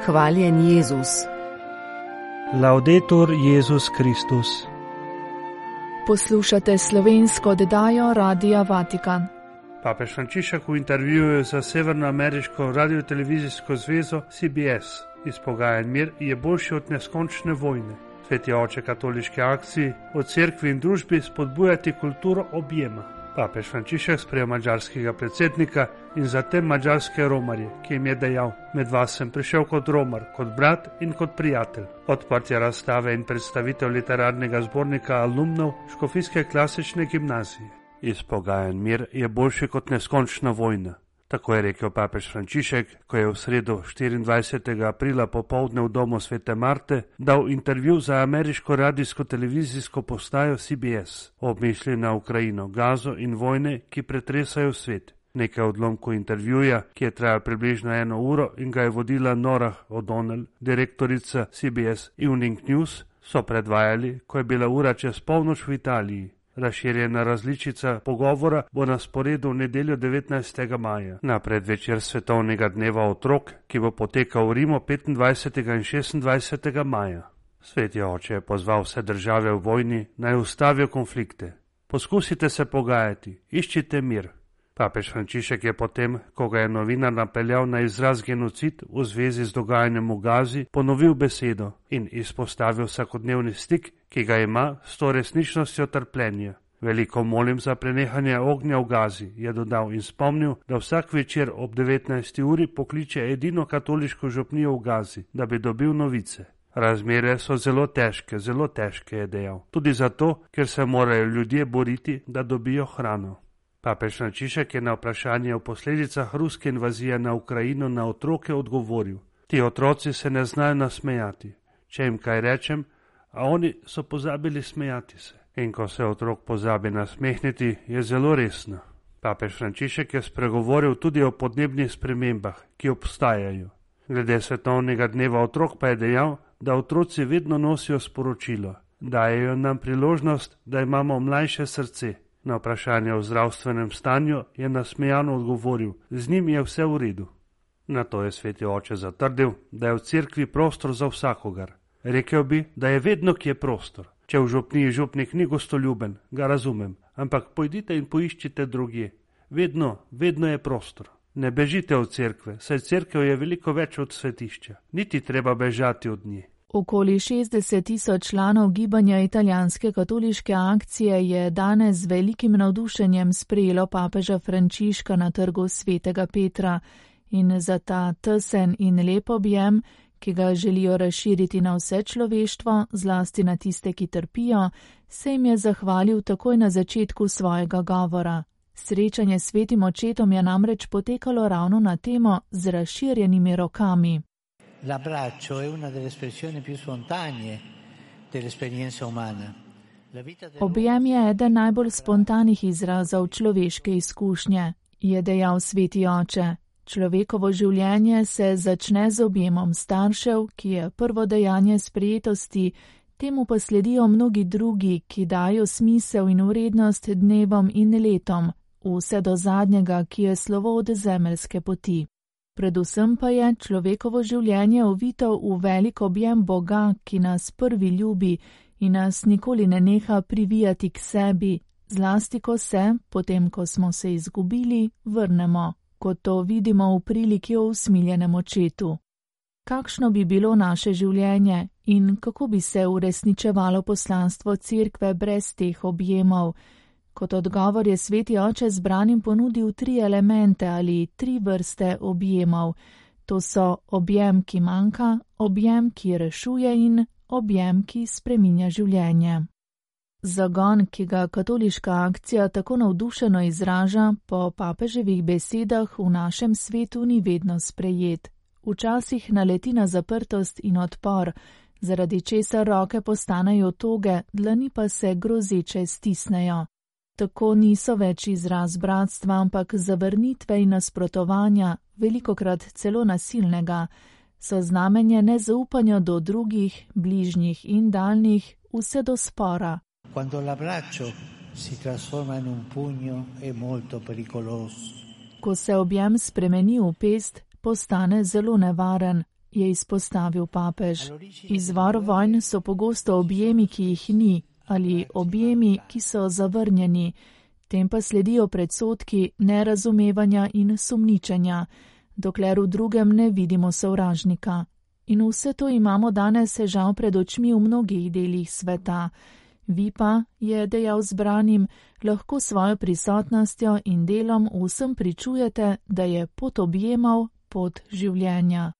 Hvaljen Jezus. Laudetur Jezus Kristus. Poslušate slovensko oddajo Radia Vatikan. Papež Frančišek v intervjuju za Severnoameriško radiotelevizijsko zvezo CBS izpogajan mir je boljši od neskončne vojne. Sveti oče katoliške akcije v cerkvi in družbi spodbujati kulturo objema. Papež Frančišek sprejel madžarskega predsednika in zatem madžarske romarje, ki jim je dejal: med vas sem prišel kot romar, kot brat in kot prijatelj. Odprtje razstave in predstavitev literarnega zbornika alumnov Škofijske klasične gimnazije. Izpogajan mir je boljši kot neskončna vojna. Tako je rekel papež Frančišek, ko je v sredo 24. aprila popoldne v domu Svete Marte dal intervju za ameriško radijsko-televizijsko postajo CBS o mišlji na Ukrajino, Gazo in vojne, ki pretresajo svet. Nekaj odlomkov intervjuja, ki je trajal približno 1 uro in ga je vodila Norah O'Donnell, direktorica CBS Evening News, so predvajali, ko je bila ura čez polnoč v Italiji. Razširjena različica pogovora bo na sporedu v nedeljo 19. maja, na predvečer svetovnega dneva otrok, ki bo potekal v Rimu 25. in 26. maja. Sveti oče je pozval vse države v vojni, naj ustavijo konflikte. Poskusite se pogajati, iščite mir. Papež Frančišek je potem, ko ga je novinar napeljal na izraz genocid v zvezi z dogajanjem v Gazi, ponovil besedo in izpostavil vsakodnevni stik, ki ga ima s to resničnostjo trpljenja. Veliko molim za prenehanje ognja v Gazi, je dodal in spomnil, da vsak večer ob 19. uri pokliče edino katoliško župnijo v Gazi, da bi dobil novice. Razmere so zelo težke, je dejal. Tudi zato, ker se morajo ljudje boriti, da dobijo hrano. Papež Frančišek je na vprašanje o posledicah ruske invazije na Ukrajino na otroke odgovoril: ti otroci se ne znajo nasmejati. Če jim kaj rečem, a oni so pozabili smejati se. In ko se otrok pozabi nasmehniti, je zelo resno. Papež Frančišek je spregovoril tudi o podnebnih spremembah, ki obstajajo. Glede svetovnega dneva otrok pa je dejal, da otroci vedno nosijo sporočilo. Dajejo nam priložnost, da imamo mlajše srce. Na vprašanje o zdravstvenem stanju je nasmejano odgovoril: z njim je vse v redu. Na to je sveti oče zatrdil, da je v cerkvi prostor za vsakogar. Rekel bi, da je vedno kje prostor. Če v župniji župnik ni gostoljuben, ga razumem, ampak pojdite in poiščite drugje. Vedno je prostor. Ne bežite od cerkve, saj cerkev je veliko več od svetišča. Niti treba bežati od nje. Okoli 60.000 članov gibanja italijanske katoliške akcije je danes z velikim navdušenjem sprejelo papeža Frančiška na trgu Svetega Petra in za ta tesen in lep objem, ki ga želijo razširiti na vse človeštvo, zlasti na tiste, ki trpijo, se jim je zahvalil takoj na začetku svojega govora. Srečanje s svetim očetom je namreč potekalo ravno na temo z razširjenimi rokami. L'abbraccio è una delle espressioni più spontanee dell'esperienza umana. Objem je eden najbolj spontanih izrazov človeške izkušnje, je dejal sveti oče. Človekovo življenje se začne z objemom staršev, ki je prvo dejanje sprejetosti, temu pa sledijo mnogi drugi, ki dajo smisel in vrednost dnevom in letom, vse do zadnjega, ki je slovo od zemeljske poti. Predvsem pa je človekovo življenje ovito v velik objem Boga, ki nas prvi ljubi in nas nikoli ne neha privijati k sebi, zlasti ko se, potem ko smo se izgubili, vrnemo, kot to vidimo v priliki o usmiljenem očetu. Kakšno bi bilo naše življenje in kako bi se uresničevalo poslanstvo cerkve brez teh objemov? Kot odgovor je sveti oče zbranim ponudil 3 elemente ali 3 vrste objemov. To so objem, ki manjka, objem, ki rešuje in objem, ki spreminja življenje. Zagon, ki ga katoliška akcija tako navdušeno izraža, po papeževih besedah v našem svetu ni vedno sprejet. Včasih naleti na zaprtost in odpor, zaradi česar roke postanejo toge, dlani pa se grozeče stisnejo. Tako niso več izraz bratstva, ampak zavrnitve in nasprotovanja, velikokrat celo nasilnega, so znamenje nezaupanja do drugih, bližnjih in daljnih, vse do spora. Quando l'abbraccio si trasforma in un pugno è molto pericoloso. Ko se objem spremeni v pest, postane zelo nevaren. je izpostavil papež. Izvor vojn so pogosto objemi, ki jih ni, ali objemi, ki so zavrnjeni. Tem pa sledijo predsodki, nerazumevanja in sumničenja, dokler v drugem ne vidimo sovražnika. In vse to imamo danes žal pred očmi v mnogih delih sveta. Vi pa, je dejal zbranim, lahko svojo prisotnostjo in delom vsem pričujete, da je pot objemov pot življenja.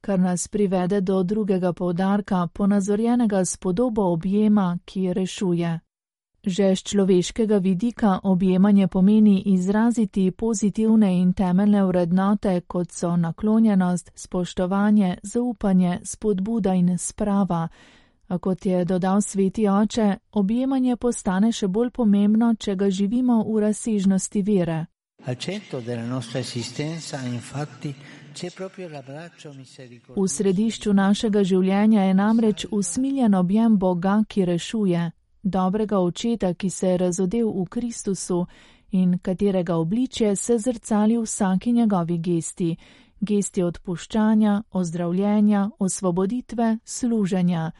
Kar nas privede do drugega poudarka, ponazorjenega s podobo objema, ki rešuje. Že z človeškega vidika objemanje pomeni izraziti pozitivne in temeljne vrednote, kot so naklonjenost, spoštovanje, zaupanje, spodbuda in sprava. A kot je dodal sveti oče, objemanje postane še bolj pomembno, če ga živimo v razsežnosti vere. V središču našega življenja je namreč usmiljen objem Boga, ki rešuje, dobrega očeta, ki se je razodel v Kristusu in katerega obličje se zrcali v vsaki njegovi gesti odpuščanja, ozdravljenja, osvoboditve, služenja,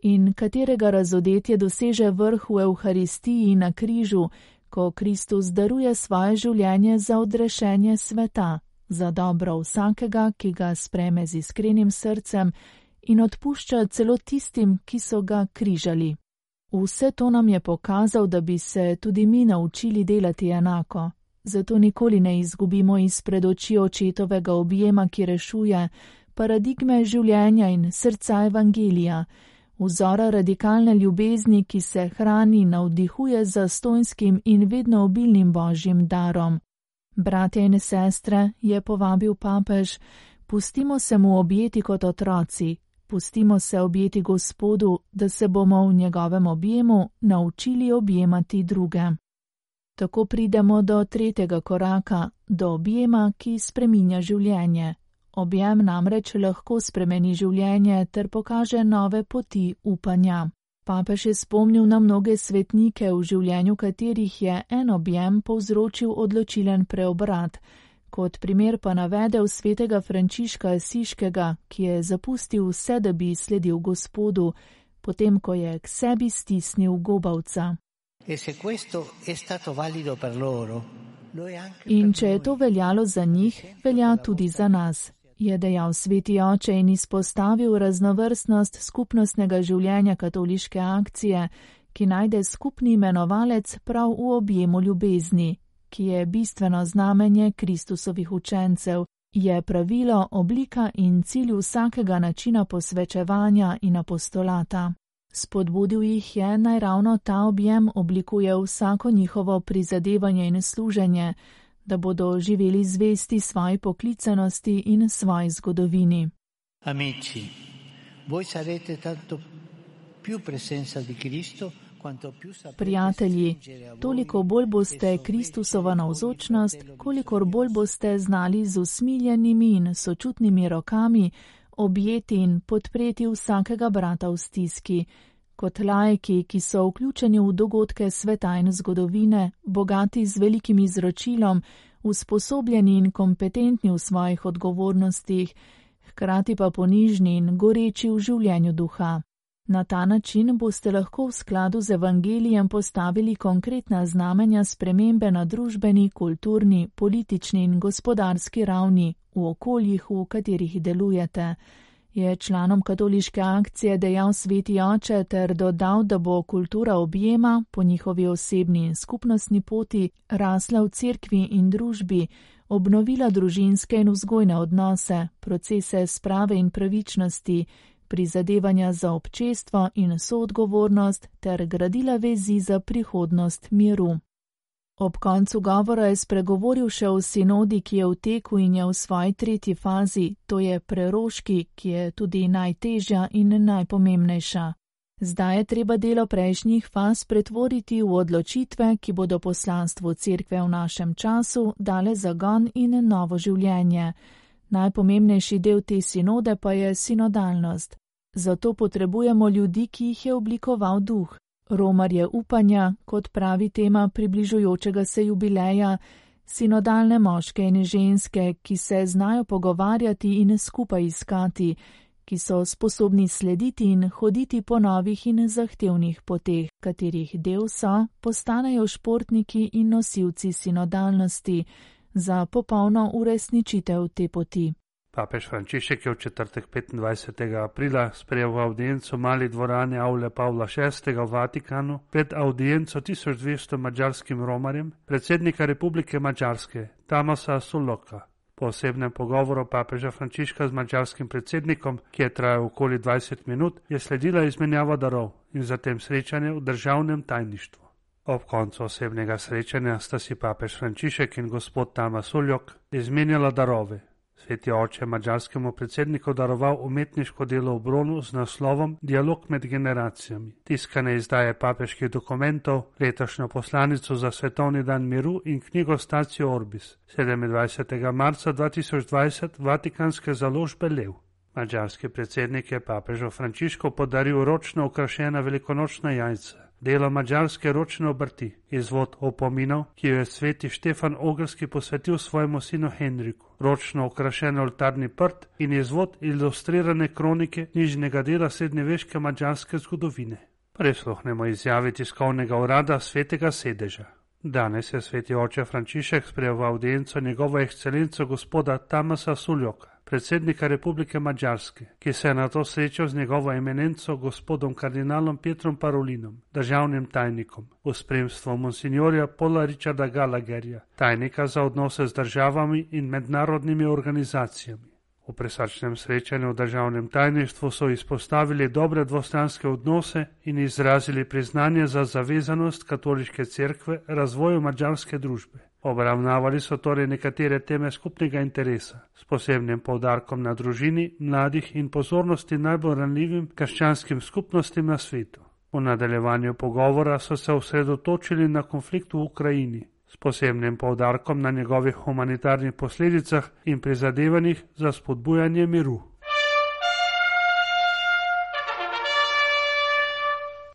in katerega razodetje doseže vrh v Evharistiji na križu, ko Kristus daruje svoje življenje za odrešenje sveta, za dobro vsakega, ki ga sprejme z iskrenim srcem in odpušča celo tistim, ki so ga križali. Vse to nam je pokazal, da bi se tudi mi naučili delati enako. Zato nikoli ne izgubimo izpred oči očetovega objema, ki rešuje, paradigme življenja in srca evangelija, vzora radikalne ljubezni, ki se hrani in navdihuje z zastonjskim in vedno obilnim božjim darom. Bratje in sestre, je povabil papež, pustimo se mu objeti kot otroci, pustimo se objeti Gospodu, da se bomo v njegovem objemu naučili objemati druge. Tako pridemo do tretjega koraka, do objema, ki spreminja življenje. Objem namreč lahko spremeni življenje ter pokaže nove poti upanja. Papež je spomnil na mnoge svetnike, v življenju katerih je en objem povzročil odločilen preobrat. Kot primer pa navedel svetega Frančiška Asiškega, ki je zapustil vse, da bi sledil Gospodu, potem ko je k sebi stisnil gobavca. In če je to veljalo za njih, velja tudi za nas, je dejal sveti oče in izpostavil raznovrstnost skupnostnega življenja katoliške akcije, ki najde skupni imenovalec prav v objemu ljubezni, ki je bistveno znamenje Kristusovih učencev, je pravilo, oblika in cilj vsakega načina posvečevanja in apostolata. Spodbudil jih je, naj ravno ta objem oblikuje vsako njihovo prizadevanje in služenje, da bodo živeli zvesti svoji poklicanosti in svoji zgodovini. Amici, voi sarete tanto più presenza di Cristo, quanto più saprete. Prijatelji, toliko bolj boste Kristusova navzočnost, kolikor bolj boste znali z usmiljenimi in sočutnimi rokami objeti in podpreti vsakega brata v stiski. Kot laiki, ki so vključeni v dogodke sveta in zgodovine, bogati z velikim izročilom, usposobljeni in kompetentni v svojih odgovornostih, hkrati pa ponižni in goreči v življenju duha. Na ta način boste lahko v skladu z evangelijem postavili konkretna znamenja spremembe na družbeni, kulturni, politični in gospodarski ravni v okoljih, v katerih delujete. Je članom katoliške akcije dejal sveti oče ter dodal, da bo kultura objema po njihovi osebni in skupnostni poti rasla v cerkvi in družbi, obnovila družinske in vzgojne odnose, procese sprave in pravičnosti, prizadevanja za občestvo in soodgovornost ter gradila vezi za prihodnost miru. Ob koncu govora je spregovoril še o sinodi, ki je v teku in je v svoji tretji fazi, to je preroški, ki je tudi najtežja in najpomembnejša. Zdaj je treba delo prejšnjih faz pretvoriti v odločitve, ki bodo poslanstvu cerkve v našem času dale zagon in novo življenje. Najpomembnejši del te sinode pa je sinodalnost. Zato potrebujemo ljudi, ki jih je oblikoval duh. Romarje upanja, kot pravi tema približujočega se jubileja, sinodalne moške in ženske, ki se znajo pogovarjati in skupaj iskati, ki so sposobni slediti in hoditi po novih in zahtevnih poteh, katerih del so, postanejo športniki in nosilci sinodalnosti za popolno uresničitev te poti. Papež Frančišek je v četrtek 25. aprila sprejel avdienco v mali dvorani Avle Pavla VI. V Vatikanu pred avdienco 1200 madžarskim romarjem, predsednika Republike Madžarske, Tamasa Sulloka. Po osebnem pogovoru papeža Frančiška z madžarskim predsednikom, ki je trajal okoli 20 minut, je sledila izmenjava darov in zatem srečanje v državnem tajništvu. Ob koncu osebnega srečanja sta si papež Frančišek in gospod Tamas Suljok izmenjala darove. Sveti oče je madžarskemu predsedniku daroval umetniško delo v bronu z naslovom Dialog med generacijami, tiskane izdaje papeških dokumentov, letošnjo poslanico za svetovni dan miru in knjigo Statio Orbis, 27. marca 2020 Vatikanske založbe Lev. Madžarski predsednik je papežu Frančišku podaril ročno okrašena velikonočna jajca, delo madžarske ročne obrti, izvod opominov, ki jo je sveti Štefan Ogrski posvetil svojemu sinu Henriku, ročno okrašen oltarni prt in izvod ilustrirane kronike nižnega dela srednjeveške madžarske zgodovine. Prisluhnemo izjavi tiskovnega urada Svetega sedeža. Danes je sveti oče Frančišek sprejel v avdienco njegovo ekscelenco gospoda Tamasa Suljoka, predsednika Republike Madžarske, ki se je na to srečal z njegovo eminenco gospodom kardinalom Pietrom Parolinom, državnim tajnikom, v spremstvu monsignorja Paula Richarda Gallagherja, tajnika za odnose z državami in mednarodnimi organizacijami. V presrčnem srečanju v državnem tajništvu so izpostavili dobre dvostranske odnose in izrazili priznanje za zavezanost katoliške cerkve razvoju madžarske družbe. Obravnavali so torej nekatere teme skupnega interesa, s posebnim poudarkom na družini, mladih in pozornosti najbolj ranljivim krščanskim skupnostim na svetu. V nadaljevanju pogovora so se osredotočili na konflikt v Ukrajini, s posebnim poudarkom na njegovih humanitarnih posledicah in prizadevanjih za spodbujanje miru.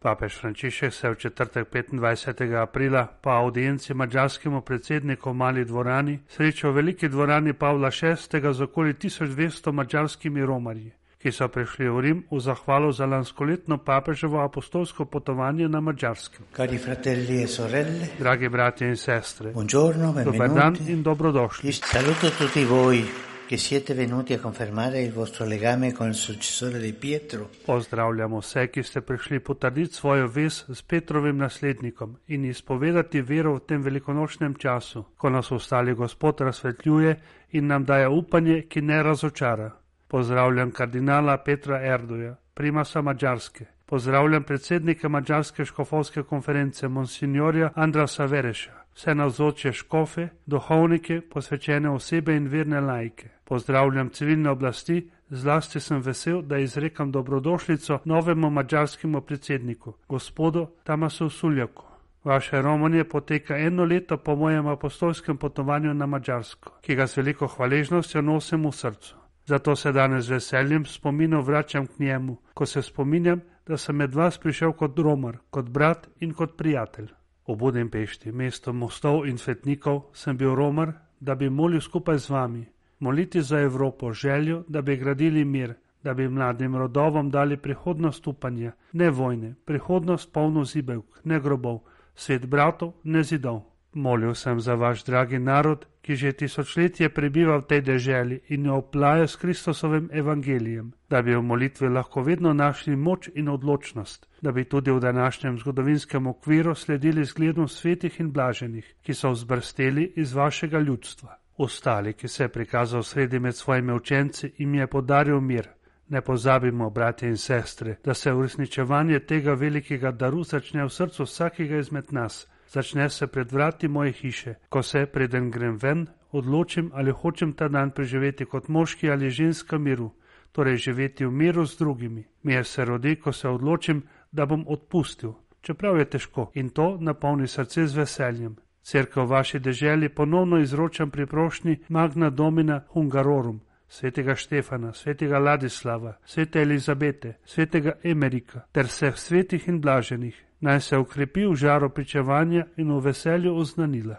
Papež Frančišek se je v četrtek 25. aprila po audienci madžarskemu predsedniku v mali dvorani srečal v veliki dvorani Pavla VI. Z okoli 1200 madžarskimi romarji, ki so prišli v Rim v zahvalo za lanskoletno papeževo apostolsko potovanje na Madžarskem. Cari fratelli e sorelle, dragi bratje in sestre, buongiorno, dober dan in dobrodošli. Saluto tutti voi che siete venuti a confermare il vostro legame con il successore di Pietro. Pozdravljamo vse, ki ste prišli potrditi svojo vez s Petrovim naslednikom in izpovedati vero v tem velikonočnem času, ko nas ostali Gospod razsvetljuje in nam daje upanje, ki ne razočara. Pozdravljam kardinala Petra Erdoja, primasa Madžarske. Pozdravljam predsednika Madžarske škofovske konference monsignorja Andrasa Vereša, vse navzoče škofe, duhovnike, posvečene osebe in verne laike. Pozdravljam civilne oblasti, zlasti sem vesel, da izrekam dobrodošlico novemu madžarskemu predsedniku, gospodu Tamasu Suljoku. Vaše romanje poteka 1 leto po mojem apostolskem potovanju na Madžarsko, ki ga z veliko hvaležnostjo nosim v srcu. Zato se danes z veseljem spominov vračam k njemu, ko se spominjam, da sem med vas prišel kot romar, kot brat in kot prijatelj. V Budimpešti, mesto mostov in svetnikov, sem bil romar, da bi molil skupaj z vami, moliti za Evropo, željo, da bi gradili mir, da bi mladim rodovom dali prihodnost upanja, ne vojne, prihodnost polno zibelk, ne grobov, svet bratov, ne zidov. Molil sem za vaš dragi narod, ki že tisočletje prebiva v tej deželi in jo oplaja s Kristusovim evangelijem, da bi v molitvi lahko vedno našli moč in odločnost, da bi tudi v današnjem zgodovinskem okviru sledili zgledom svetih in blaženih, ki so vzbrsteli iz vašega ljudstva. Ostali, ki se je prikazal sredi med svojimi učenci in je podaril mir. Ne pozabimo, bratje in sestre, da se uresničevanje tega velikega daru začne v srcu vsakega izmed nas. Začne se pred vrati moje hiše, ko se, preden grem ven, odločim, ali hočem ta dan preživeti kot moški ali ženska miru, torej živeti v miru z drugimi. Mir se rodi, ko se odločim, da bom odpustil, čeprav je težko, in to napolni srce z veseljem. Cerkev v vaši deželi ponovno izročam pri prošnji Magna Domina Hungarorum, svetega Štefana, svetega Ladislava, svete Elizabete, svetega Emerika ter vseh svetih in blaženih. Naj se ukrepi v žaru pričevanja in v veselju oznanila.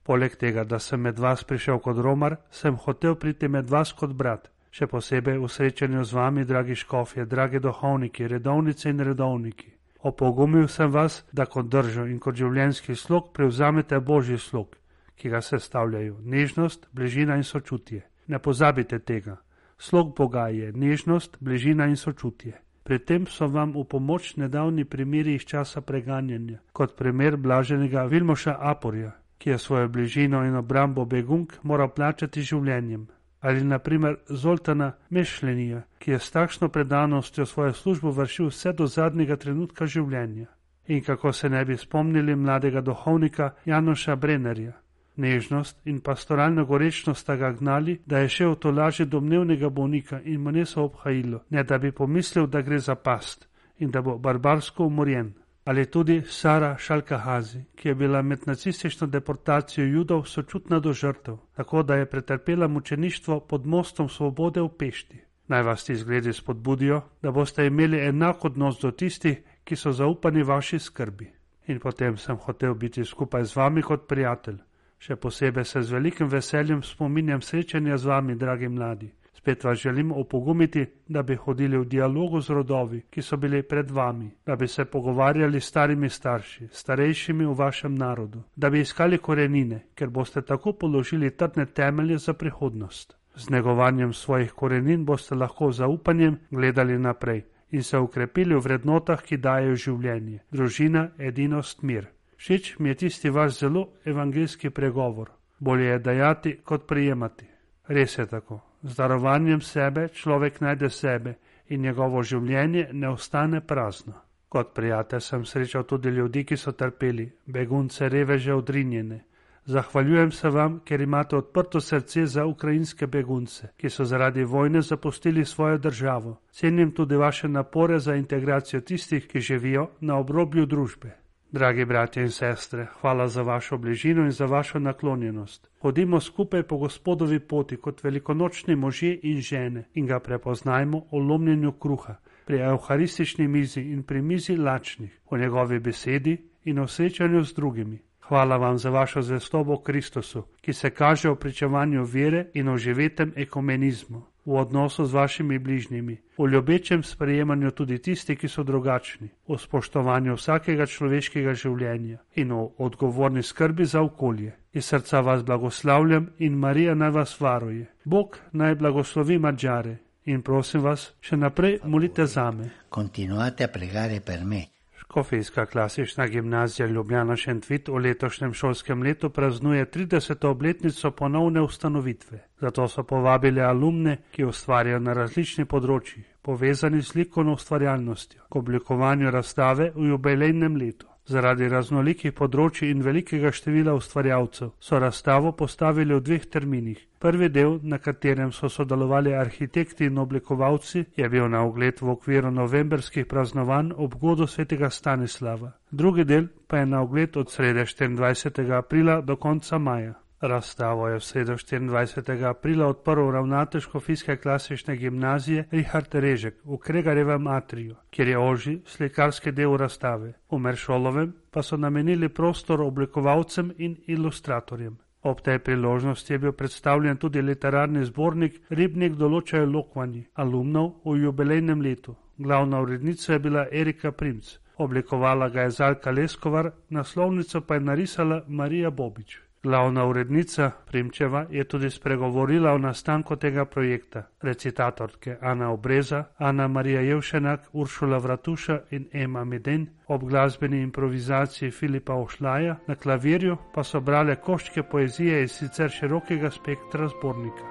Poleg tega, da sem med vas prišel kot romar, sem hotel priti med vas kot brat, še posebej v srečanju z vami, dragi škofje, dragi duhovniki, redovnice in redovniki. Opogumil sem vas, da kot držo in kot življenjski slog prevzamete Božji slog, ki ga sestavljajo nežnost, bližina in sočutje. Ne pozabite tega. Slog Boga je nežnost, bližina in sočutje. Pri tem so vam v pomoč nedavni primeri iz časa preganjanja, kot primer blaženega Vilmoša Aporja, ki je svojo bližino in obrambo begunk moral plačati življenjem. Ali naprimer Zoltana Mešlenija, ki je s takšno predanostjo svojo službo vršil vse do zadnjega trenutka življenja. In kako se ne bi spomnili mladega duhovnika Janoša Brennerja. Nežnost in pastoralna gorečnost sta ga gnali, da je šel v tolažje domnevnega bolnika in mu niso obhajilo, ne da bi pomislil, da gre za past in da bo barbarsko umorjen. Ali tudi Sara Šalkahazi, ki je bila med nacistično deportacijo Judov sočutna do žrtev, tako da je pretrpela mučeništvo pod mostom svobode v Pešti. Naj vas ti zgledi spodbudijo, da boste imeli enak odnos do tistih, ki so zaupani vaši skrbi. In potem sem hotel biti skupaj z vami kot prijatelj. Še posebej se z velikim veseljem spominjam srečanja z vami, dragi mladi. Spet vas želim opogumiti, da bi hodili v dialogu z rodovi, ki so bili pred vami, da bi se pogovarjali s starimi starši, starejšimi v vašem narodu, da bi iskali korenine, ker boste tako položili trdne temelje za prihodnost. Z negovanjem svojih korenin boste lahko z zaupanjem gledali naprej in se ukrepili v vrednotah, ki dajejo življenje, družina, edinost, mir. Všeč mi je tisti vaš zelo evangeljski pregovor. Bolje je dajati, kot prijemati. Res je tako. Z darovanjem sebe človek najde sebe in njegovo življenje ne ostane prazno. Kot prijatelj sem srečal tudi ljudi, ki so trpeli, begunce, reveže, odrinjene. Zahvaljujem se vam, ker imate odprto srce za ukrajinske begunce, ki so zaradi vojne zapustili svojo državo. Cenim tudi vaše napore za integracijo tistih, ki živijo na obrobju družbe. Dragi bratje in sestre, hvala za vašo bližino in za vašo naklonjenost. Hodimo skupaj po Gospodovi poti kot velikonočni možje in žene in ga prepoznajmo o lomljenju kruha, pri evharistični mizi in pri mizi lačnih, o njegovi besedi in o srečanju z drugimi. Hvala vam za vašo zvestobo Kristusu, ki se kaže v pričevanju vere in o živetem ekumenizmu, v odnosu z vašimi bližnjimi, v ljubečem sprejemanju tudi tisti, ki so drugačni, v spoštovanju vsakega človeškega življenja in v odgovorni skrbi za okolje. Iz srca vas blagoslavljam in Marija naj vas varuje. Bog naj blagoslovi Madžare in prosim vas, še naprej molite zame. Continuate a pregare per me. Škofijska klasična gimnazija Ljubljana Šentvid v letošnjem šolskem letu praznuje 30. obletnico ponovne ustanovitve. Zato so povabili alumne, ki ustvarjajo na različnih področjih, povezani s likovno ustvarjalnostjo, k oblikovanju razstave v jubilejnem letu. Zaradi raznolikih področij in velikega števila ustvarjalcev so razstavo postavili v 2 terminih. Prvi del, na katerem so sodelovali arhitekti in oblikovalci, je bil na ogled v okviru novemberskih praznovanj ob godu svetega Stanislava. Drugi del pa je na ogled od srede 24. aprila do konca maja. Razstavo je v sredo 24. aprila odprl ravnatelj Škofijske klasične gimnazije Richard Režek v Kregarjevem atriju, kjer je ožji slikarski del razstave. V Meršolovem pa so namenili prostor oblikovalcem in ilustratorjem. Ob tej priložnosti je bil predstavljen tudi literarni zbornik Ribnik določajo lokvanji alumnov v jubilejnem letu. Glavna urednica je bila Erika Primc, oblikovala ga je Zalka Leskovar, naslovnico pa je narisala Marija Bobič. Glavna urednica Primčeva je tudi spregovorila o nastanku tega projekta. Recitatorke Ana Obreza, Ana Marija Jevšenak, Uršula Vratuša in Ema Meden, ob glasbeni improvizaciji Filipa Ošlaja, na klavirju pa so brale koščke poezije iz sicer širokega spektra zbornika.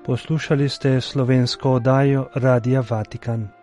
Poslušali ste slovensko oddajo Radia Vatikan.